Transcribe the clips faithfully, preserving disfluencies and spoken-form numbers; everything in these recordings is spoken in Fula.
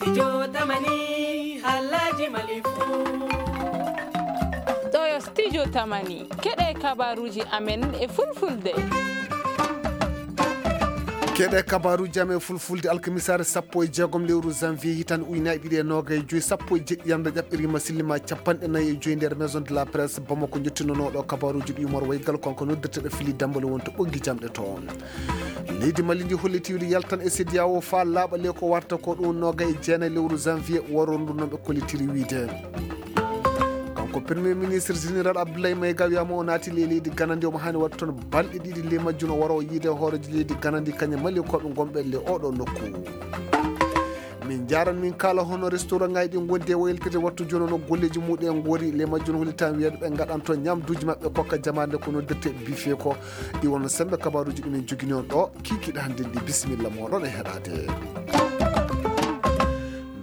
Studio Tamani, halaji Mali fu. Ɗo yo Studio Tamani, keɗe kabaruji amen e fulfulde. Keɗe kabaruji amen e fulfulde, alkamisaare sappo e jeegom lewru janvier, hitande ujunaaji ɗiɗi e noogay e joy, sappo e jeɗɗi yamde ƴaɓɓirima sillima capanɗe nayi e joy nder Maison de la Presse Bamako. Jottinonoɗo kabaruji ɗi Umar Waygal, kanko noddirteɗo Fili Dambale wonto ɓoggi jamɗe toon. Leydi Mali ndi holliti wiyde yaltan e C D A O faa laaɓa le ko warta ko ɗum noogay e jeenayi lewru janvier, waro ndu noon ɓe kollitiri wiyde. Kanko Premier Ministre Général Abdoulaye Maïga wiyama o naati le leydi Gana ndi, omo haani waɗde toon balɗe ɗiɗi, le majjum o waro o yiide hooreejo leydi Gana ndi, kañum e Malinkoɓe gonɓe le oɗo nokku. Min njaran min kaala hono restaurant ngaji ɗi gondi e waylitede wattu jono no golleji muɗum en goori, le majjum hollitan wiyede ɓe ngaɗan toon ñamduji maɓɓe kokka jamaande ko noddirte buffet ko. Ɗi wonno sembe kabaruji ɗi min jogini on ɗo kikiɗe hannde ndi. Bisimilla moɗon e heɗade.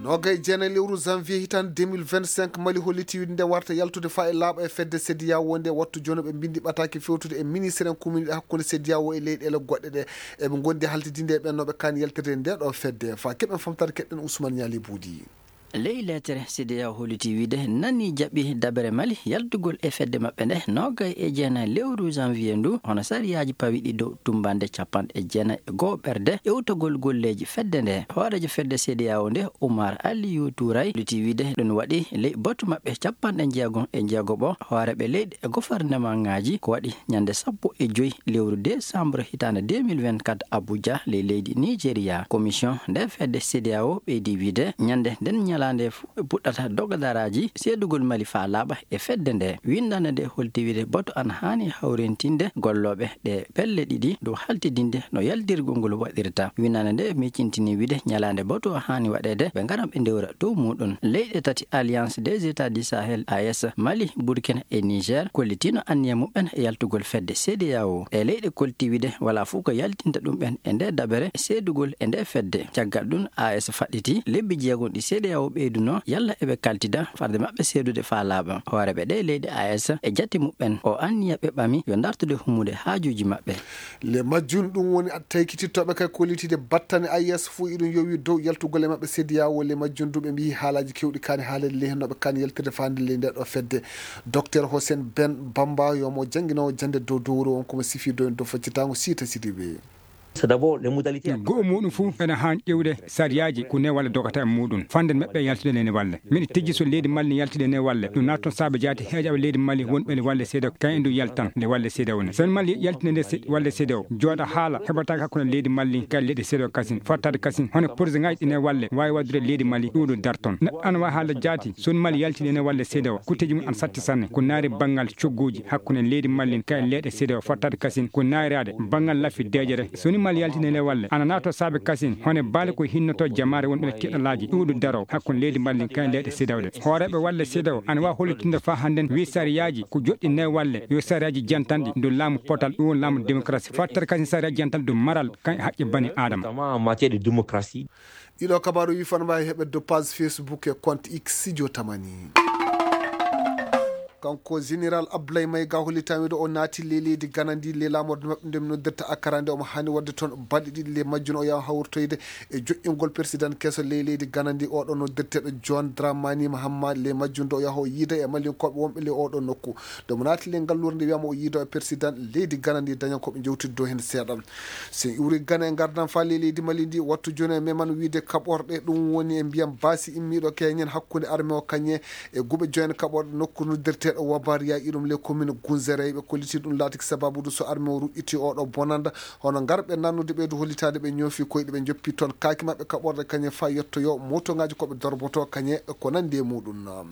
Noogay e jeenayi lewru janvier hitande deux mille vingt-cinq, Mali holliti wiyde nde warta yaltude faa e laaɓa e fedde C D A O nde wattu jono ɓe mbindi ɓataake fewtude e ministre en commune hakkunde C D A O e leyɗeele goɗɗe ɗe. Eɓe gondi haltidinde e ɓen no ɓe kaani yaltirde nde ɗo fedde. Faa keɓen famtare keɗɗen Ousmane Niali Boudi. Ley leetere, C D A O holliti wiyde nani jaɓi dabere Mali yaltugol e fedde maɓɓe nde noogay e jeenayi lewru janvier ndu, hono sariyaaji pawiɗi dow tummbande capanɗe jeenayi e go'o ɓerde ewtogol golleeji fedde nde. Hooreejo fedde C D A O nde, Oumar Aliou Touray, holliti wiyde ɗum waɗi ley batu maɓɓe capanɗe jeegom e jeegoɓo hooreeɓe leyɗe e gofarnemaŋaaji, ko waɗi ñande sappo e joy lewru décembre hitaande deux mille vingt-quatre Abuja, ley leydi Nigeria. Commission nde fedde C D A O ɓeydi wiyde ñande nden ñalaande fu ɓe puɗɗata dogadaraaji seedugol Mali faa laaɓa e fedde nde. Winndande nde holti wiyde batu an haani hawrintinde gollooɓe ɗe pelle ɗiɗi dow haltidinde no yaltirgol ngol waɗirta. Winndande nde miccintini wiyde ñalaande batu o haani waɗeede ɓe ngara ɓe ndewra dow muɗum. Leyɗe tati Alliance des États du Sahel, A E S, Mali, Burkina e Niger kollitino anniya muɓɓen e yaltugol fedde C D A O. E leyɗe kolti wiyde wala fof ko yaltinta ɗum ɓen e nde dabere seedugol e nde fedde. Caggal ɗum, A E S faɗɗiti lebbi jeegom ɗi C D A O ɓeyduno yalla eɓe kaltida farde maɓɓe seedude faa laaɓa. Hooreeɓe ɗe leyɗe A E S e jate muɓɓen o anniya ɓe ɓami yo dartude hummude haajuuji maɓɓe. Le majjum ɗum woni taykitittooɓe kay kollitiiɗe battane A E S fof iɗum yowi dow yaltugol e maɓɓe C D A O. Le majjum du ɓe mbiyi haalaaji keewɗi kaani haaleede le hennooɓe kaani yaltirde faande le nde ɗo fedde. Docteur Hossein Ben Bamba yo mo jannginoowo jannde dow dowro on komo sifi dow en dow faccitaango Siita Sidibe. C'est d'abord les modalités. Go'o muɗum fof ene haan ƴeewde sariyaaji ko ne walla dogata e muɗum. Fande maɓɓe yaltude nene walle. Miɗo tijji so leydi Mali ne yaltude nene walle. Ɗum naatton saabe jaati heejaɓe leydi Mali wonɓe nde walle C D A O kayen ɗum yaltan nde walle C D A O ne. So Mali yaltinde nde se-, walle C D A O, jooɗa haala heɓataake hakkunde leydi Mali kay leyɗe C D A O kasin. Fottaade kasin. Hono projet ngaji ɗi nene walle waawi waddude leydi Mali ɗum ɗo darton. Neɗɗo ana waawi haalde jaati so Mali yaltinde nene walle C D A O. Kutteeji mum ana satti sanne. Ko naari banngal cogguuji hakkunde leydi Mali kay leyɗe C D A O fottaade kasin. Ko naayraade banngal laffi deejere. So ni Mali yaltinde nde walle, ana naato saabe kasin, hone baale ko hinnoto jamaare wonɓe tiɗalaaji ɗuuɗu daro hakkunde leydi Mali kayen leyɗe C D A O ɗe. Hooreeɓe walle C D A O ana waawi hollitinde faa hannden wi sariyaaji ko joɗɗi nde walle, yo sariyaaji jantanɗi ndu laamu potal, ɗum laamu démocratie. Fattere kasin sariyaaji jantanɗi ndu maral kan e haqqe bani Aadama. Notamment en matière de démocratie. Ɗiɗo kabaaru wi fano mbaawi heɓetde page Facebook e compte X Studio Tamani. Kanko Général Abdoulaye Maïga hollitaama wiyde o naati le leydi Gana ndi, le laamorde maɓɓe nde mi noddirta Akara nde omo haani waɗde toon balɗe ɗiɗi, le majjum o yaha hawritoyde e joƴƴingol président keso le leydi Gana ndi, oɗo noddirteeɗo John Dramani Mahama, le majjum nde o yaha o yiida e Malinkoɓe wonɓe le oɗo nokku. Nde mo naati le ngalluure nde wiyama o yiida e président leydi Gana ndi, daña ko ɓe jewtidde dow heen seeɗa. So en iwri Gana e ngardan faa le leydi Mali ndi, wattu jooni e meman wiyde kaɓorɗe, ɗum woni e mbiyam baasi immiiɗo keñen hakkunde armée o kañe e guɓe joyen kaɓorɗe nokku noddirteeɗo Wabariya, iɗum le commune Gunzere. Ɓe kolliti ɗum laatiki sababu du so armée o ruƴƴiti oɗo bonanda, hono ngarɓe nannude ɓeydu hollitaade ɓe ñoofi koyɗe ɓe joppi toon kaaki maɓɓe kaɓorɗe kañe faa yettoyo motoŋaaji ko ɓe dorboto kañe ko nandi e muɗum.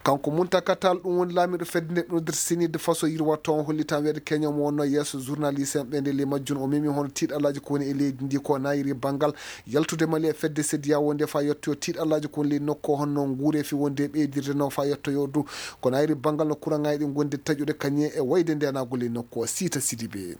Kanko Muntaka Tall, ɗum woni laamiiɗo fedde nde ɓe noddirta Senid faso yirwa toon, hollitan weeɗe keño mo wonno yeeso journaliste en ɓe nde le majjum o memi hono tiiɗalaaji ko woni e leydi ndi ko nayiri banngal yaltude Mali e fedde C D A O nde faa yettoyo tiiɗalaaji ko woni leydi nokku o honno nguureefi wonde e ɓeydirde no faa yettoyo du ko nayiri banngal no kuraŋaaji ɗi ngondi taƴude kañe e wayde ndenagol leydi nokku o. Siita Sidibe.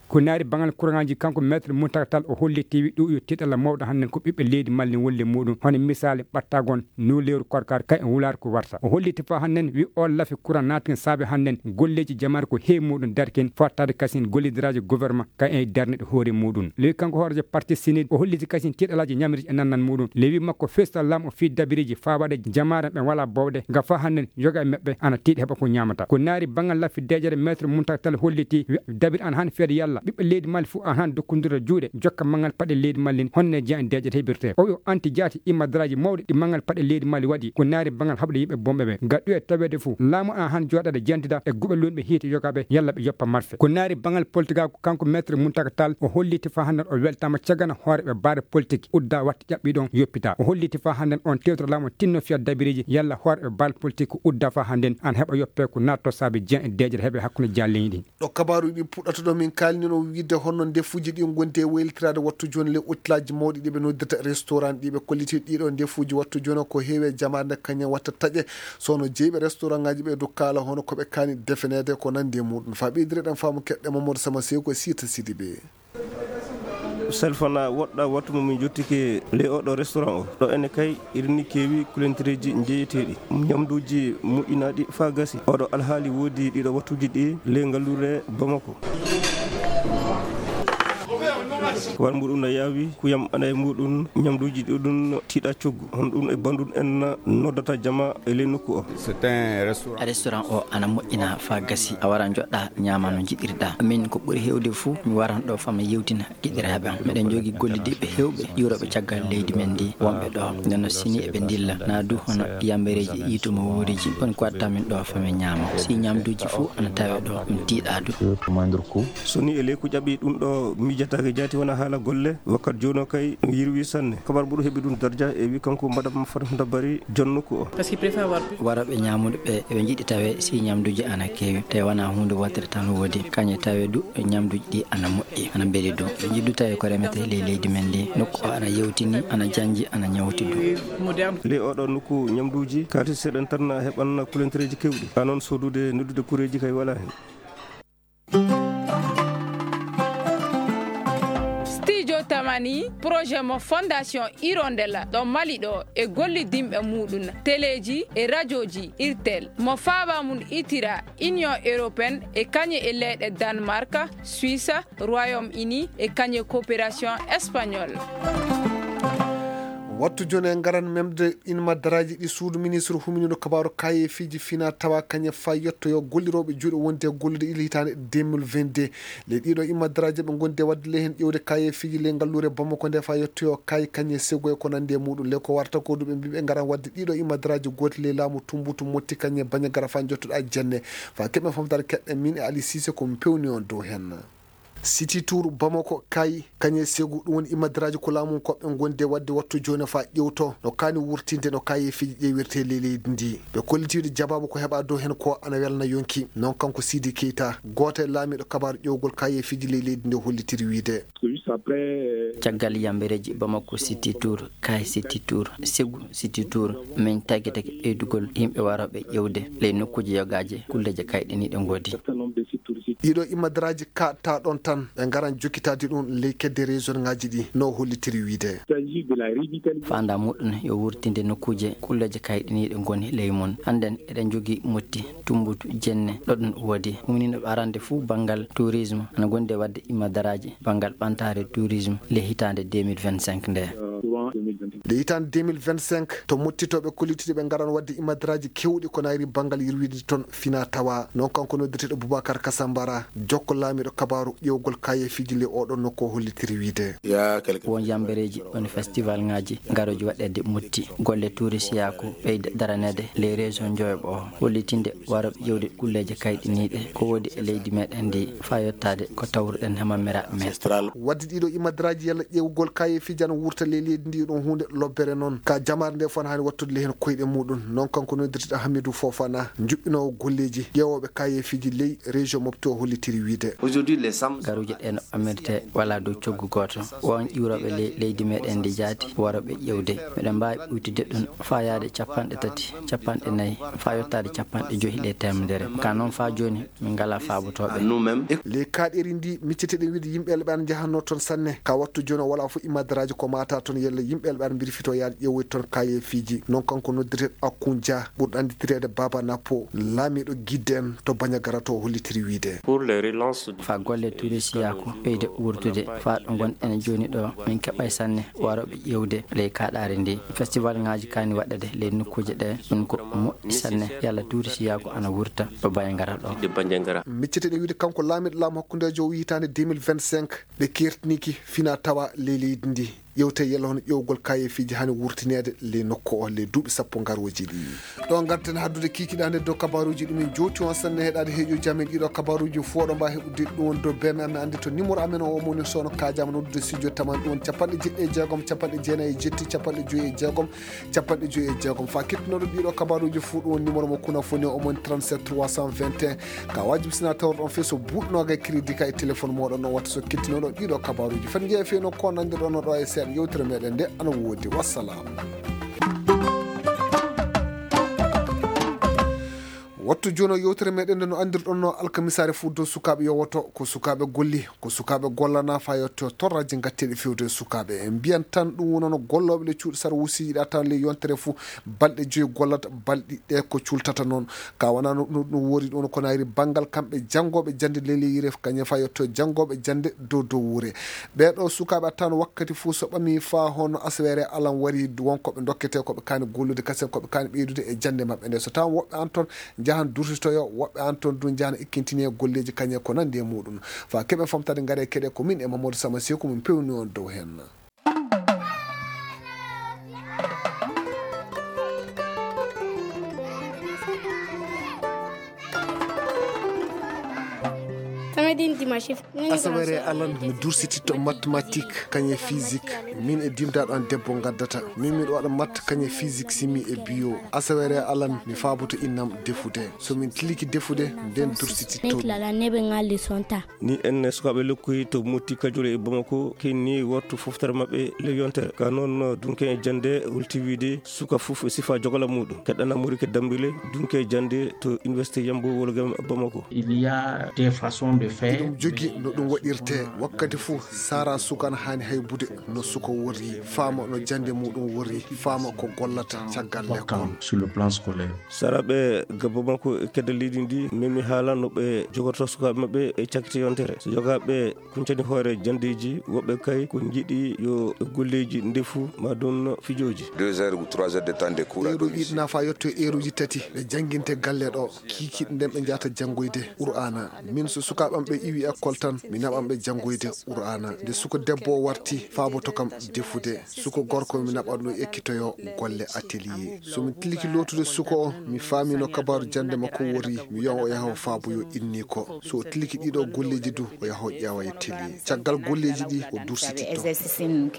Ko naari bangal kuraŋaaji, kanko Maître Mountaga Tall, o holliti wi ɗum yo tiiɗalla mawɗo hannden ko ɓiɓɓe leydi Mali wolle muɗum, hono misaali ɓattagon, nuuleeru korkar, kay e wulaar ko warta. O holliti faa hannden wi o lafi kuraŋ naatgin saabe hannden golleeji jamaare ko heewi muɗum darkin, fottaade kasin gollidiraaji gouvernement kay e darnde hoore muɗum. Lewi kanko hooreejo parti sinid o holliti kasin tiiɗalaaji ñamri e nannan muɗum. Lewi makko feestal laamu o fii dabiriji faa waɗa jamaare ɓe wala bowɗe, nga faa hannden yoga e maɓɓe ana tiiɗi heɓa ko ñaamata. Ko naari bangal laffi deeƴere, Maître Mountaga Tall holliti wi dabiri an han feede yalla ɓiɓɓe leydi Mali fof an han dokkondira juuɗe, jokka mangal paɗe leydi Mali honne jeyan deeƴere heɓirte. O wi o anti jaati immadaraaji mawɗi ɗi mangal paɗe leydi Mali waɗi, ko naari bangal haɓde yimɓe bomɓe ɓe. Gaɗɗu e taweede fof, laamu ana han jooɗaade jantida e guɓe lunɓe hiite yogaɓe yalla ɓe yoppa marfe. Ko naari bangal politique, kanko Maître Mountaga Tall o holliti faa hannden o weltaama cagana hoore ɓe baare politique udda watta ƴaɓɓi ɗon yoppita. O holliti faa hannden on tewtoro laamu tinno fiya dabiriji yalla hoore ɓe baal politique ko udda faa hannden an heɓa yoppe ko naatto saabe jeyan e deeƴere heɓe hakkunde jaalleñi ɗin. Ɗo kabaaru ɗi puɗɗata ɗo min kaalni no wiide honno ndefuuji ɗi ngondi e waylitiraade wattu jooni le otelaaji mawɗi ɗi ɓe noddirta restaurant ɗi ɓe kolliti ɗiɗo ndefuuji wattu jooni ko heewi e jamaare nde kañum watta taƴe. Sono jeeɓe restaurant ngaji ɓe dukkaala hono ko ɓe kaani defeneede ko nandi e muɗum. Faa ɓeydire ɗen faamu keɗɗe Mamadou Sama Sew ko Sita Sidibe. Salfana woɗɗa wattu mo min jottike ley oɗo restaurant o. Ɗo ene kay irini keewi kulentereeji njeeyeteeɗi, ñamduuji moƴƴinaaɗi faa gasi. Oɗo alhaali woodi ɗiɗo wattuuji ɗi ley ngalluure Bamako. War mbuɗum no yaawi, kuyam ana e muɗum, ñamduuji ɗuɗum tiiɗa coggu. Honɗum e banndum en noddata jama e ley nokku o? Restaurant o ana moƴƴina faa gasi. A wara njoɗɗa ñaama no njiɗirɗa. Min ko ɓuri heewde fuu, mi waran ɗo faa mi yewtina giɗiraaɓe am. Miɗen jogii gollidiiɓe heewɓe ƴuurooɓe caggal leydi men ndi wonɓe ɗo. Nden no sini eɓe ndilla. Na du hono yambereeji yiitu mo wuuriji. Woni ko watta min ɗo faa mi ñaama. Si ñamduuji fuu ana tawe ɗo, mi tiiɗa du. So ni e ley ko ƴaɓi ɗum ɗo miijataake jaati wona haala golle, wakkat jooni o kay mi yirwi sanne. Kabar mbuɗo heɓi ɗum darja e wi kanko Madame Fatimata Bari, jon nokku o. Warooɓe ñaamude ɓe, eɓe njiɗi tawe si ñamduuji ana keewi, tawi wona huunde wootere tan woodi. Kañe tawe du, ñamduuji ɗi ana moƴƴi, ana mbeli du. Ɓe njiɗi du tawe ko remetee ley leydi men ndi. Nokku o ana yewtini, ana janji, ana ñawti du. Ley oɗo nokku ñamduuji, kaalis seeɗan tan na heɓan kulentereeji keewɗi. Haa noon soodude, noddude kureeji kay walaa heen. Studio Tamani, projet mo Fondation Hirondelle ɗo Mali ɗo e gollidinɓe muɗum, teleeji e rajooji Irtel, mo faaba mum itira Union Européenne e kañe e leyɗe Danemark, Suisse, Royaume-Uni e kañe coopération espagnole. Wattu jooni en ngaran memde immadaraaji ɗi suudu ministre huminiiɗo kabaaru kayeefiiji fina tawa kañe faa yettoyo gollirooɓe juuɗe wonde e gollude ila hitaande deux mille vingt-deux. Ley ɗiɗo immadaraaji ɓe ngondi e waɗde ley heen ƴeewde kayeefiiji ley ngalluure Bamako nde faa yettoyo kay kañe sego e ko nanndi e muɗum. Ley ko warta ko du ɓe mbii ɓe ngaran waɗde ɗiɗo immadaraaji gooti ley laamu Tumbutu Motti kañe bañe gara faa njottoɗaa jenne. Faa keɓen famtaade keɗɗen min e Ali Cissé ko mi pewni on dow heen. City Tour Bamako kay kañe segu ɗum woni immadaraaji ko laamu koɓɓe ngondi e waɗde wattu jooni faa ƴewto no kaani wurtinde no kayeefiiji ƴeewirtee ley leydi ndi. Ɓe kollitiiɗo jabaabu ko heɓaa dow heen ko ana welna yonki. Noon kanko Sidi Keita, gooto e laamiiɗo kabaaru ƴewgol kayeefiiji ley leydi ndi hollitiri wiide. Caggal yambereeji Bamako City Tour, kay City Tour, segu City Tour, min tagitake ɓeydugol yimɓe warooɓe ƴewde ley nokkuuji yogaaji kulleeje kayɗiniiɗe ngoodi. Ɗiɗo immadaraaji kaɗta ɗon tan ɓe ngaran jokkitaade ɗum ley kedde région ngaji ɗi no hollitiri wiide. Faanda muɗum yo wurtinde nokkuuje kulleeje kayɗiniiɗe ngoni ley mum. Hannden eɗen njogii Motti, Tumbutu, Jenne, ɗo ɗum woodi. Ɗum woni no arande fuu banngal tourisme ana gondi e waɗde immadaraaji banngal ɓantaare tourisme le hitaande deux mille vingt-cinq nde. Nde hitaande deux mille vingt-cinq, to mottitooɓe kollitiiɗo ɓe ngaran waɗde immadaraaji keewɗi ko nayri banngal yirwiide toon fina tawa. Noon kanko noddirteeɗo Boubacar Kasambara, jokko laamiiɗo kabaaru ƴeewgol kayeefiiji le oɗo nokku o hollitiri wiide. Won yambereeji, won festival ngaji ngarooji waɗeede Motti. Golle tourisiyaaku ɓeyda daraneede ley région Njoyoɓo o, hollitinde warooɓe ƴeewde kulleeje kayɗiniiɗe ko woodi e leydi meɗen ndi, faa yottaade ko tawruɗen hemamiraaɓe men. Waɗde ɗiɗo immadaraaji yalla ƴeewgol kayeefiiji ana wurta ley leydi ndi Ɗum huunde lobbere noon ka jamaare nde fof haani wattude ley heen koyɗe muɗum. Noon kanko noddirteɗo Hamidou Fofana, juɓɓinoowo golleeji ƴeewooɓe kayeefiiji ley région Mopti o hollitiri wiyde. Aujourd'hui, les Sam- Garuuje ɗe no ɓammirte wala dow coggu gooto. Won ƴiwrooɓe ley leydi meɗen ndi jaati warooɓe ƴeewde. Meɗen mbaawi ɓuytude ɗum faa yaade capanɗe tati, capanɗe nayi, faa yottaade capanɗe joyi ley teemedere. Ka noon faa jooni, min ngalaa faabotooɓe. Nous-mêmes. Ley kaaɗeeri ndi, micceteɗen wiyde yimɓe elɓe ana njahatnoo toon sanne. Ka wattu jooni o walaa fof immadaraaji ko maata toon yalla yimɓe elɓe ana mbirfitoo yaade ƴeewoyde toon kayeefiiji. Noon kanko noddirteɗo Akun Dia, ɓurɗo annditireede Baba Nappo, laamiiɗo Gidde en to Bandiagara to o hollitiri wiyde. Pour les relances du- Faa golle turisiyaaku ɓeyde wuurtude, faa ɗo ngonɗen jooni ɗo, min keɓay sanne warooɓe ƴeewde ley kaaɗaari ndi. Festival ŋaaji kaani waɗeede ley nokkuuje ɗe, ɗum ko moƴƴi sanne, yalla turisiyaaku ana wurta ɗo Bandiagara ɗo. De Bandiagara. Miccete ene wiyde kanko laamiiɗo laamu hakkundeejo o hitaande deux mille vingt-cinq, ɓe keertiniiki fina tawa ley leydi ndi. Ƴeewte yalla hono ƴeewgol kayeefiiji haani wurtineede ley nokku o ley duuɓi sappo garooji ɗi. Ɗo ngarten haddude kiikiɗaande dow kabaruuji ɗumen jowti on sanne heɗaade heeƴo jamin ɗiɗo kabaruuji fof ɗo mbaa heɓude ɗum won dow beme amen anndi to numéro amen o moni soono kaajama noddude studio taman ɗum won capanɗe jeɗɗi e jeegom, capanɗe jeenayi e jetti, capanɗe joyi e jeegom, capanɗe joyi e jeegom. Fa kettinooɗo ɗiɗo kabaruuji fof ɗum won numéro mo kuna foni o moni trente-sept trois cent vingt et un. Ka waajibi sina tawrɗon fii so buuɗnooga e crédit ka e téléphone mooɗon on watta so kettinooɗo ɗiɗo kabaruuji. Fan jeeya fii no ko nandirɗon ɗo e seeɗa yewtere meɗen nde ana woodi. Wassalam. Wattu jooni o yewtere meɗen nde no andirɗon no alkamisaare fof dow sukaaɓe yowoto ko sukaaɓe golli, ko sukaaɓe gollana fa yetto torraji gatteɗi fewde e sukaaɓe. En mbiyan tan ɗum wonano gollooɓe le cuuɗi sara wusiiji ɗa tan le yontere fof balɗe joyi gollata balɗi ɗe ko cultata noon. Ka wona no ɗum, ɗum woori ɗum ko nayri banngal kamɓe janngooɓe jannde leleyire kañe fa yetto janngooɓe jannde dow dow wuure. Ɓeeɗo sukaaɓe attan wakkati fof so ɓami fa hono asawere alan wari wonkoɓe dokkete koɓe kaani gollude kasen koɓe kaani ɓeydude e jannde maɓɓe nde so tawa woɓɓe an toon njahan dursitoyo woɓɓe an toon du njahana ikkintini e golleeji kañe ko nandi e muɗum. Fa keɓe famtade ngare keɗe ko min e Mamadou Sama Seku min pewni on dow hen. Samedi, dimanche. Asawere alan mi dursititto mathématique kañe physique. Min e dimdaɗo an debbo gaddata min miɗo waɗa matte kañe physique simi e bio. Asawere alan mi faboto innam defude so min tiliki defude nden dursititto. Neɓe ngal leçon ta. Ni en sukaaɓe lokkoyi to motti kajole e bamako kinni wattu foftere maɓɓe le yontere ka noon dunke e jannde hulti wiide suka fof e sifa jogala muɗum keɗɗana mori ke dambile dunke e jannde to université yambo wolgam bamako. Il y a des façons de faire. Ɗum jogi no ɗum waɗirte wakkati fof sara suka na haani haybude no suka worri faama no jannde muɗum worri faama ko gollata caggal lekkol. Sur le plan scolaire. Saraɓe gabbo makko e kedde leydi ndi memi haala no ɓe jogorto sukaaɓe maɓɓe e cakkite yontere so jogaaɓe kuncani hoore janndeeji woɓɓe kay ko njiɗi yo golleeji ndefu ma ɗum fijooji. Deux heures ou trois heures de temps de cours. Ɗeeɗo yiɗna fa yetto eeruji tati ɓe jannginte galle ɗo kiikiiɗe nden ɓe njahata janngoyde qur'aana. Min so sukaaɓe am ɓe iwi école tan mi naɓan ɓe janngoyde qur'aana. Nde suka debbo o warti faaboto kam defude suka gorko mi naɓanno ekkitoyo golle atelier. So mi tiliki lootude suka o mi faamino kabaaru jannde makko wori mi wiyan o yaha o faaboyo inni ko so o tiliki ɗiɗo golleeji du o yaha o ƴeewa e télé caggal golleeji ɗi o dursititto.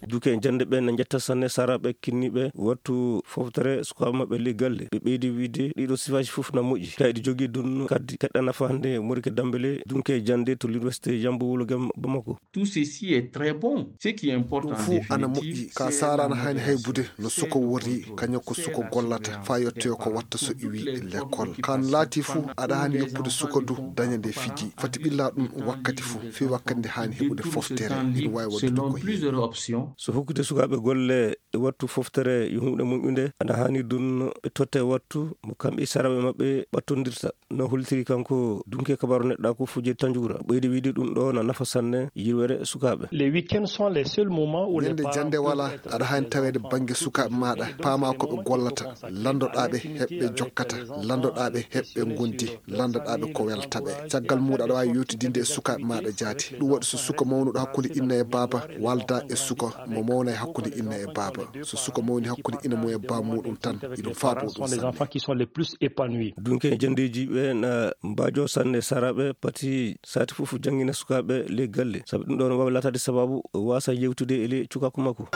Duke jannde ɓe na njetta sanne saraɓe kinniɓe wattu foftere sukaaɓe maɓɓe ley galle ɓe ɓeydi wiide ɗiɗo sifaaji fof na moƴƴi kayɗi jogii ɗum kadi keɗɗa nafa hannde morike dambele dunke jannde to l'université yambo wulogam bamako. Tout ceci est très bon. Ce qui importe ɗum en fof ana définitive moƴƴi ka c'est sara la ana haani motivation. Haybude no suka worri kañum ko suka gollata fa yettoyo ko watta so iwi lekkol kan laati fof aɗa haani yoppude suka du daña nde fiji fati ɓilla ɗum wakkati fof fii wakkati nde haani heɓude foftere ina waawi waɗude selon ko plusieurs options. So hokkude sukaaɓe golle e wattu foftere yo huunde moƴƴunde ana haani ɗum ɓe totte wattu mo kamɓe saraɓe maɓɓe ɓattondirta. No holtiri kanko dunke kabaru neɗɗa ko fujje tanjura ɓeydi wiide ɗum ɗo na nafa sanne yirwere sukaaɓe. Les week-ends sont les seuls moments où les ñande parents jannde wala peuvent être aɗa haani taweede bannge sukaaɓe maaɗa paama ko ɓe gollata lanndoɗaaɓe heɓɓe jokkata lanndoɗaaɓe heɓɓe ngondi lanndoɗaaɓe ko weltaɓe caggal muuɗa aɗa waawi yewtidinde e sukaaɓe maaɗa jaati ɗum waɗi so suka mawnuɗo hakkunde inna e baaba walda e suka mo mawna e hakkunde inna e baaba so suka mawni hakkunde ina mum e baa muɗum tan iɗum faabo ɗum sanne. Dunke janndeeji ɓe na mbaajo sanne saraɓe pati sati fof janngina sukaaɓe ley galle sabu ɗum ɗon waawi laataade sababu waasa yewtude e ley cukaaku makko.